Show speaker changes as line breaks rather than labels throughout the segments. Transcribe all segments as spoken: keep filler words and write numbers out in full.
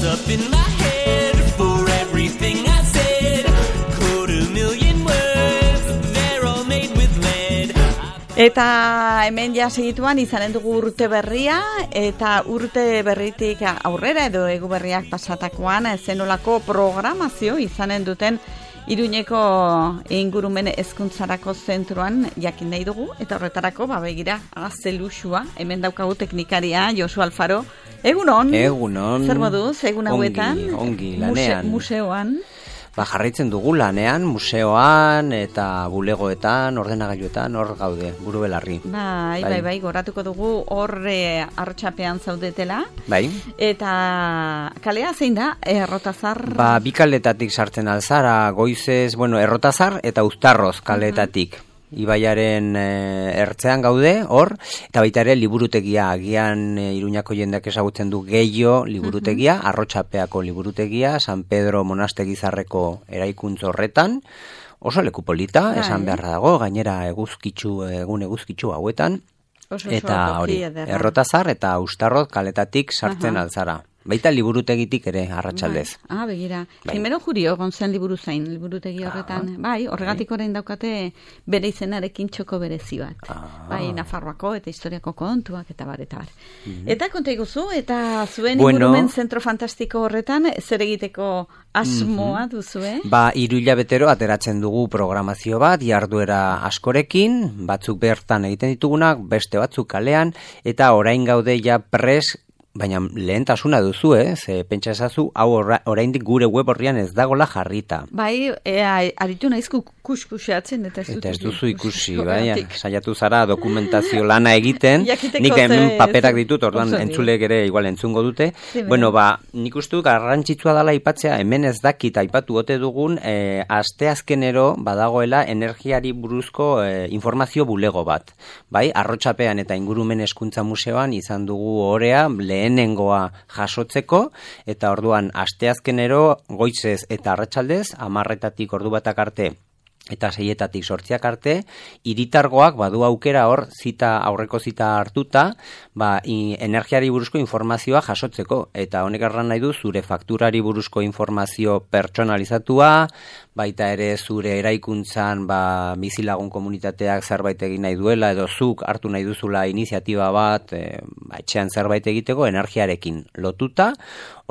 what's up in my head for everything I said. Quarter million words, they're all made with lead.
Eta hemen ja segituan izanen dugu urte berria, eta urte berritik aurrera edo egu berriak pasatakoan zenolako programazio izanen duten Iruñeko ingurumen hezkuntzarako zentroan jakin nahi dugu, eta horretarako ba begira azelusua, hemen daukagu teknikaria Josu Alfaro. Egunon.
Egunon.
Zer moduz, egun hauetan?
Ongi, ongi, lanean.
Muse, museoan.
Ba, jarraitzen dugu lanean, museoan eta bulegoetan, ordenagailuetan, hor gaude, buru belarri.
Bai, bai, bai, bai, goratuko dugu hor e, artxapean zaudetela.
Bai.
Eta kalea zein da, Errotazar?
Ba, bi kaletatik sartzen alzara, goizez, bueno, Errotazar eta Uztarroz kaletatik. Uh-huh. Ibaiaren e, ertzean gaude, hor, eta baita ere liburutegia, agian e, Iruñako jendeak ezagutzen du Gehiago liburutegia, uh-huh. Arrotxapeako liburutegia, San Pedro Monastegizarreko eraikuntz horretan, oso leku polita, Hai. Esan beharra dago, gainera eguzkitzu, egun eguzkitzu hauetan, oso, eta hori, Errotazar eta Uztarroz kaletatik sartzen uh-huh. alzara. Baita liburutegitik ere, arratsaldez.
Bai. Ah, begira. Bai. Jimeno Jurio, gontzen liburu zain, liburutegi horretan. Ah, bai, horregatik bai. Orain daukate bere izenarekin txoko berezi bat. Ah. Bai, Nafarroako eta historiako kontuak eta bar, eta bar. Mm-hmm. Eta konta iguzu, eta zuen bueno, ingurumen zentro fantastiko horretan, zer egiteko asmoa mm-hmm. duzue? Ba,
hiru hilabetero ateratzen dugu programazio bat, jarduera askorekin, batzuk bertan egiten ditugunak, beste batzuk kalean, eta orain gaude ja pres, baina lehentasuna duzu, eh? Ze pentsa ezazu, hau oraindik gure web horrian ez dagola jarrita.
Bai, ea, aritu naizku kuskuseatzen, eta ez dut.
Eta ez duzu ikusi, bai, saiatu zara dokumentazio lana egiten, nik hemen paperak ditut, orduan entzulek ere igual entzungo dute. Sí, bueno, ba, nik uste dut garrantzitsua dela aipatzea, hemen ez dakit aipatu ote dugun, eh, asteazkenero badagoela energiari buruzko eh, informazio bulego bat. Bai, Arrotxapean eta Ingurumen Hezkuntza Museoan izan dugu orea, lehenengoa jasotzeko, eta orduan asteazkenero goizez eta arratsaldez, hamarretatik ordu batak arte eta seietatik sortziak arte, hiritargoak badu aukera hor zita aurreko zita hartuta, ba, i, energiari buruzko informazioa jasotzeko, eta honek erran nahi du zure fakturari buruzko informazio pertsonalizatua, baita ere zure eraikuntzan ba, bizilagun komunitateak zerbait egin nahi duela, edo zuk hartu nahi duzula iniziatiba bat, e, ba, etxean zerbait egiteko energiarekin lotuta,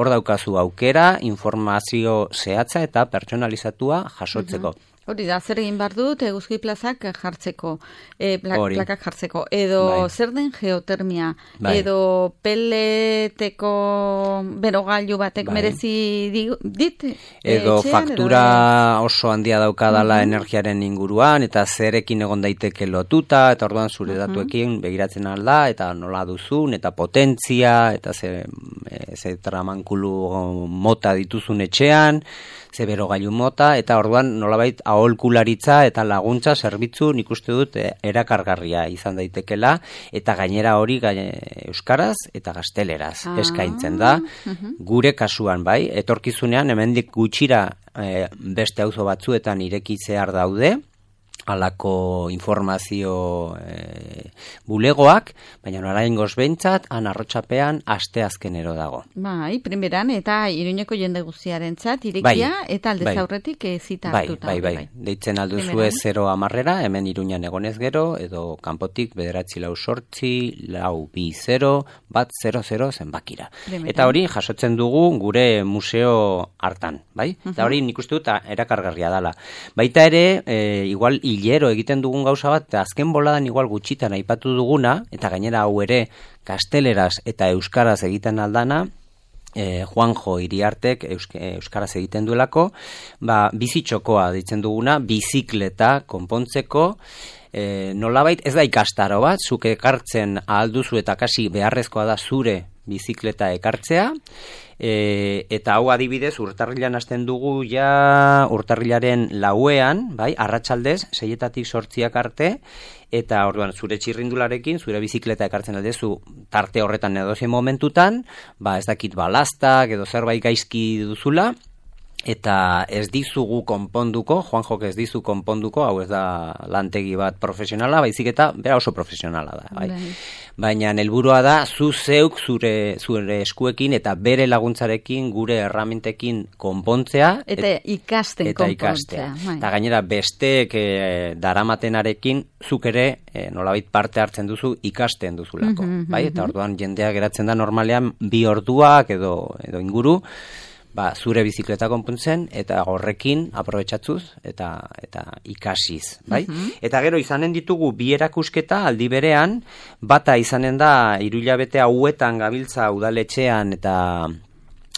hor daukazu aukera, informazio zehatza eta pertsonalizatua jasotzeko. Uh-huh.
Hori da, zer egin behar dut eguzki plazak jartzeko, e, pla, plakak jartzeko, edo bai. Zer den geotermia, bai. Edo peleteko berogailu batek bai. Merezi dit?
Edo etxean, faktura edo... oso handia daukadala uh-huh. energiaren inguruan, eta zerekin egon daiteke lotuta, eta orduan zure uh-huh. datuekin begiratzen alda, eta nola duzun, eta potentzia, eta ze, ze tramankulu mota dituzun etxean, ze berogailu mota, eta orduan nolabait aholkularitza eta laguntza zerbitzu nik uste dut erakargarria izan daitekela, eta gainera hori gaine, euskaraz eta gazteleraz ah. eskaintzen da. Uh-huh. Gure kasuan bai, etorkizunean hemendik gutxira e, beste auzo batzuetan irekitzear daude, alako informazio e, bulegoak, baina oraingoz behintzat, han Arrotxapean asteazkenero dago.
Bai, primeran, eta Iruñeko jende guztiarentzat irekia, bai, eta aldez bai. Aurretik zita
bai,
hartuta.
Bai, bai, bai. Deitzen alduzue zero amarrera, hemen Iruñan egonez gero, edo kanpotik bederatzi lau sortzi, lau bi zero, bat zero zero zenbakira. Primeran. Eta hori jasotzen dugu gure museo hartan, bai? Uh-huh. Eta hori nik uste dut erakargarria dala. Baita ere, e, igual hilero egiten dugun gauza bat, azken boladan igual gutxitan aipatu duguna, eta gainera hau ere gazteleraz eta euskaraz egiten aldana, eh, Juanjo Iriartek eusk, euskaraz egiten duelako, ba, bizitxokoa ditzen duguna, bizikleta konpontzeko, eh, nolabait ez da ikastaro bat, zuk ekartzen ahalduzu eta kasi beharrezkoa da zure bizikleta ekartzea, e, eta hau adibidez urtarrilan hasten dugu ja urtarrilaren lauean, bai, arratsaldez, seietatik sortziak arte, eta orduan zure txirrindularekin, zure bizikleta ekartzen aldezu tarte horretan edozein momentutan, ba ez dakit balastak edo zerbait gaizki duzula, eta ez dizugu konponduko, Juanjok ez dizu konponduko, hau ez da lantegi bat profesionala, baizik eta bera oso profesionala da. Bai. Baina helburua da, zu zeuk zure, zure eskuekin eta bere laguntzarekin, gure erramintekin konpontzea.
Eta ikasten
eta
konpontzea.
Bai. Eta gainera besteek e, daramatenarekin zuk ere e, nolabait parte hartzen duzu ikasten duzulako. Mm-hmm, bai? Eta orduan jendea geratzen da normalean bi orduak edo, edo inguru, ba, zure bizikleta konpontzen eta horrekin aprobetxatzuz eta eta ikasiz, bai? Mm-hmm. Eta gero izanen ditugu bi erakusketa aldi berean, bata izanen da hirulabete hauetan gabiltza udaletxean eta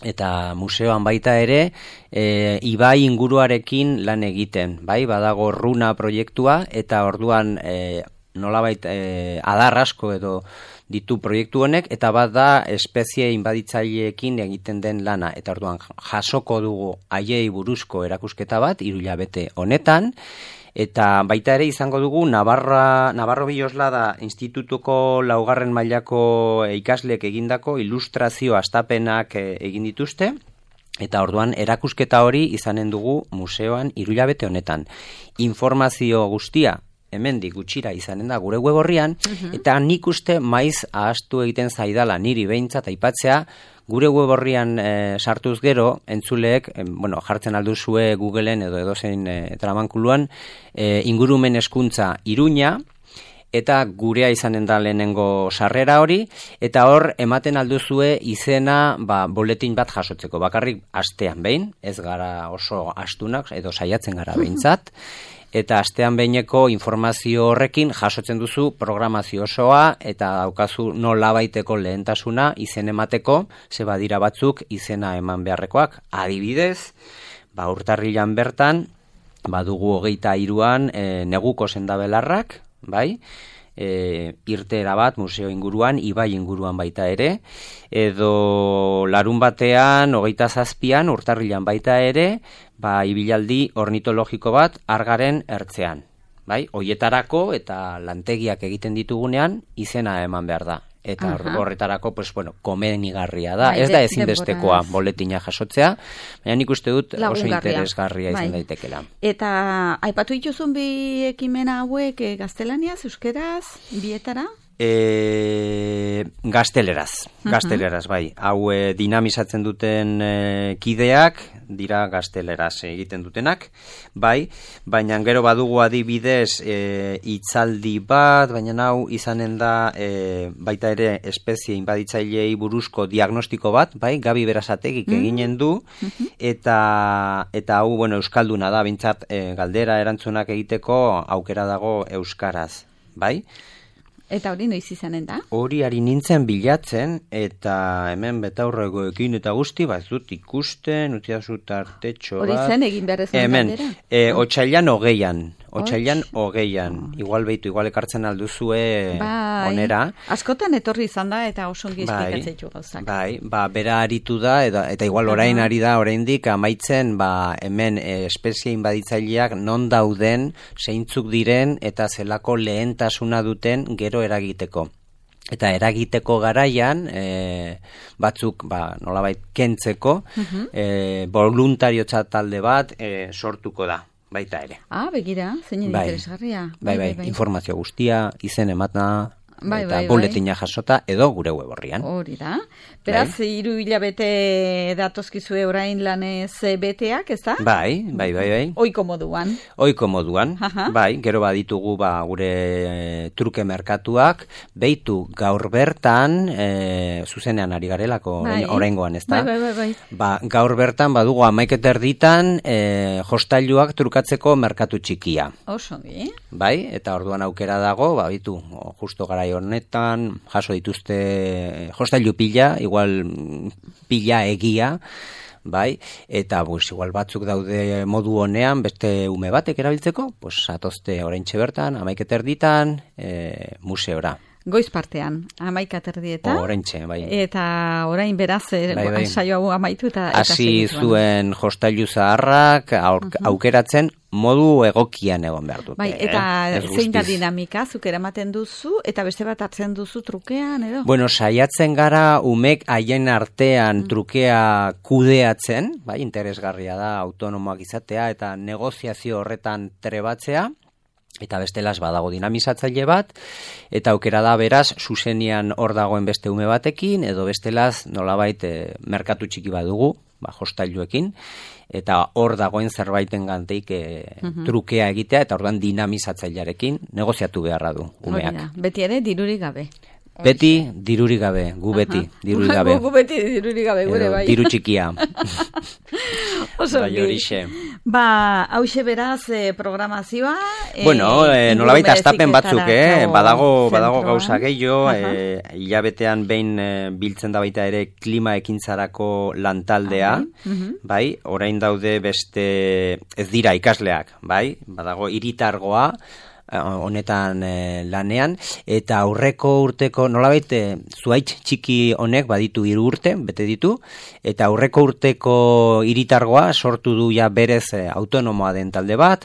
eta museoan baita ere, e, ibai inguruarekin lan egiten, bai? Badago Runa proiektua eta orduan e, nolabait e, adar asko edo ditu proiektu honek, eta bat da espezie inbaditzaileekin egiten den lana, eta orduan jasoko dugu haiei buruzko erakusketa bat, hirulabete honetan, eta baita ere izango dugu Navarra, Navarro Biloslada Institutuko laugarren mailako ikasleek egindako ilustrazio astapenak egin dituzte, eta orduan erakusketa hori izanen dugu museoan hirulabete honetan. Informazio guztia hemendik gutxira izanen da gure web orrian, uh-huh. eta nik uste maiz ahastu egiten zaidala niri behintzat aipatzea, gure web orrian e, sartuz gero, entzuleek, e, bueno, jartzen alduzue Googleen edo edozein e, tramankuluan, e, ingurumen hezkuntza Iruña, eta gurea izanen da lehenengo sarrera hori, eta hor ematen alduzue izena ba, boletin bat jasotzeko, bakarrik astean behin, ez gara oso astunak, edo saiatzen gara behintzat, eta astean behineko informazio horrekin jasotzen duzu programazio osoa eta daukazu nola baiteko lehentasuna izen emateko, ze badira batzuk izena eman beharrekoak. Adibidez, ba urtarrilan bertan, badugu hogeita hiruan e, neguko sendabelarrak, bai? E, irteera bat museo inguruan, ibai inguruan baita ere, edo larun batean, hogeita zazpian, urtarrilan baita ere, ba, ibilaldi ornitologiko bat argaren ertzean. Bai? Hoietarako eta lantegiak egiten ditugunean izena eman behar da. Eta Aha. horretarako, pues, bueno, komenigarria da. Bai, ez da ezinbestekoa boletina jasotzea, baina nik uste dut oso interesgarria bai. izan daitekela.
Eta aipatu dituzun bi ekimena hauek e, gaztelaniaz, euskeraz, bietara?
E, gazteleraz, gazteleraz, bai. Hau e, dinamizatzen duten e, kideak, dira gazteleraz egiten dutenak, bai, baina gero badugu adibidez e, itzaldi bat, baina hau izanen da e, baita ere espezie inbaditzaileei buruzko diagnostiko bat, bai, Gabi Berasategik mm-hmm. eginen du, mm-hmm. eta eta hau, bueno, euskalduna da, bintzat e, galdera erantzunak egiteko aukera dago euskaraz, bai?
Eta hori noiz izanen da?
Hori ari nintzen bilatzen, eta hemen betaurregoekin eta guzti, bat dut ikusten, utziazu tartetxo bat.
Hori zen egin behar ezan galdera?
Hemen, e, otsailan hogeian, otsailan hogeian, igual behitu, igual ekartzen alduzue bai. onera.
Askotan etorri izan da, eta oso ongi esplikatzeitu gauzak.
Bai, ba, bera aritu da, eta, eta igual orain ari da, oraindik amaitzen, ba, hemen e, espezie inbaditzaileak non dauden, zeintzuk diren, eta zelako lehentasuna duten gero eragiteko. Eta eragiteko garaian, e, batzuk, ba, nolabait, kentzeko, uh-huh. e, voluntariotza talde bat e, sortuko da, baita ere.
Ah, begira, zein
bai.
interesgarria.
Bai, bai, bai, bai, informazio guztia, izen emata, bai, eta bai, boletina bai. jasota, edo gure web orrian.
Hori da. Beraz, bai. hiru hilabete datozkizue orain lanez beteak, ez da?
Bai, bai, bai, bai.
Oiko moduan.
Oiko moduan, Aha. bai. Gero baditugu ba, gure e, truke merkatuak, beitu gaur bertan, e, zuzenean ari garelako bai. oraingoan, ez da?
Bai, bai, bai, bai.
Ba, gaur bertan badugu amaiketer ditan e, jostailuak trukatzeko merkatu txikia.
Oso, bi.
Bai, eta orduan aukera dago, ba, bitu, justo garai honetan, jaso dituzte jostailu pila, igual pila egia, bai, eta pues, igual batzuk daude modu honean, beste ume batek erabiltzeko, pues atozte oraintxe bertan, amaiketer ditan, e, museora.
goiz partean, amaika terdietan.
Oraintxe, bai.
Eta orain beraz, bai, bai. saio hau amaitu eta...
Hasi zuen jostailu zaharrak aur, uh-huh. aukeratzen modu egokian egon behar dute.
Bai, eta eh? zein da dinamika, zuk eramaten duzu, eta beste bat hartzen duzu trukean, edo?
Bueno, saiatzen gara umek haien artean mm. trukea kudeatzen, bai, interesgarria da autonomoak izatea, eta negoziazio horretan trebatzea, eta bestelaz badago dinamizatzaile bat, eta aukera da beraz, zuzenian hor dagoen beste ume batekin, edo bestelaz nolabait e, merkatu txiki badugu, ba, jostailuekin, eta hor dagoen zerbaiten ganteik e, uh-huh. trukea egitea, eta orduan dinamizatzailearekin negoziatu beharra du umeak.
Oida, beti ere dirurik gabe.
Beti dirurik gabe, gu beti uh-huh. dirurik gabe.
Gu beti dirurik gabe, gure bai.
Diru txikia.
Oso bai, horixe. Ba, hauxe beraz eh, programazioa. Eh,
bueno, eh, nolabait astapen batzuk, eh? Badago, badago gauza gehiago, uh-huh. eh, hilabetean behin eh, biltzen da baita ere klima ekintzarako lantaldea, uh-huh. bai, orain daude beste, ez dira ikasleak, bai, badago hiritargoa, honetan e, lanean, eta aurreko urteko, nolabait, e, zuaitz txiki honek baditu hiru urte, bete ditu, eta aurreko urteko hiritargoa sortu du ja berez e, autonomoa den talde bat,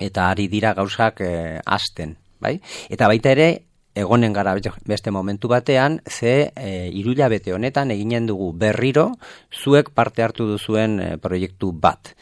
eta ari dira gauzak e, hasten, bai? Eta baita ere, egonen gara beste momentu batean, ze e, irulabete honetan eginen dugu berriro, zuek parte hartu duzuen e, proiektu bat.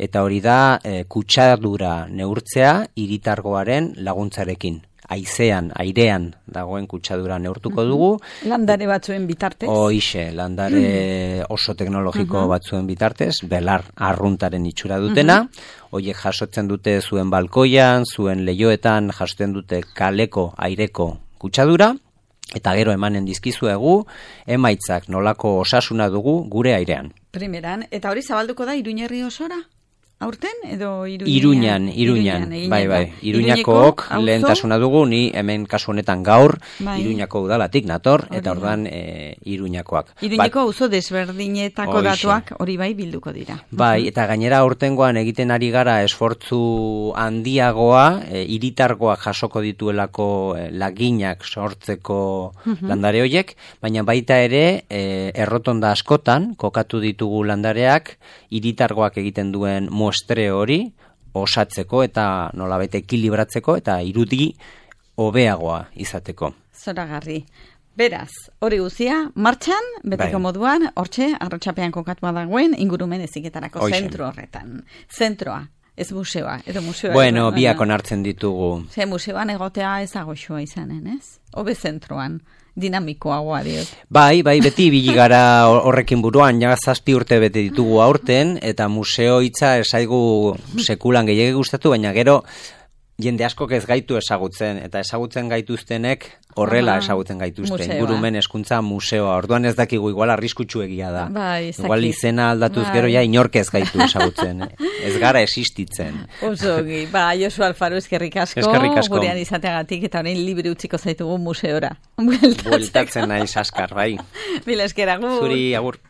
Eta hori da e, kutsadura neurtzea hiritargoaren laguntzarekin. Haizean, airean dagoen kutsadura neurtuko dugu.
Landare batzuen bitartez.
Hoixe, landare oso teknologiko uh-huh. batzuen bitartez, belar arruntaren itxura dutena. Hoiek uh-huh. jasotzen dute zuen balkoian, zuen leioetan jasotzen dute kaleko aireko kutsadura. Eta gero emanen dizkizuegu, emaitzak nolako osasuna dugu gure airean.
Primeran, eta hori zabalduko da Iruñerri osora? Aurten edo
Iruñan? Iruñan, Iruñan, bai, bai. Iruñakook lehentasuna dugu, ni hemen kasu honetan gaur, bai. Iruñako udalatik nator, hori eta orduan e, Iruñakoak.
Iruñako auzo desberdinetako Oixe. Datuak hori bai bilduko dira.
Bai, eta gainera aurtengoan egiten ari gara esfortzu handiagoa, e, hiritargoak jasoko dituelako e, laginak sortzeko uh-huh. landare hoiek, baina baita ere e, errotonda askotan kokatu ditugu landareak, hiritargoak egiten duen muestre hori osatzeko eta nolabait ekilibratzeko eta irudi hobeagoa izateko.
Zoragarri. Beraz, hori guzia, martxan, betiko bai. Moduan, hortxe, arrotxapean kokatua dagoen, ingurumen eziketarako zentro horretan. Zentroa, ez museoa, edo museoa.
Bueno, edo, biak onartzen ditugu.
Ze museoan egotea ez agoxoa izanen, ez? Obe zentroan. Dinamikoagoa diot.
Bai, bai, beti ibili gara horrekin buruan, ja zazpi urte bete ditugu aurten, eta museo hitza esaigu sekulan gehiagik gustatu, baina gero jende askok ez gaitu ezagutzen, eta ezagutzen gaituztenek horrela ezagutzen gaituzten. Ingurumen hezkuntza museoa, orduan ez dakigu igual arriskutsu egia da.
Bai,
igual izena aldatuz bai. Gero ja inork ez gaitu ezagutzen. Ez gara existitzen.
Osogi, ba, Josu Alfaro eskerrik asko,
eskerrik asko.
Gurean izateagatik, eta orain libre utziko zaitugu museora.
Bueltatzen nahi saskar, bai.
Mila esker, agur.
Zuri, agur.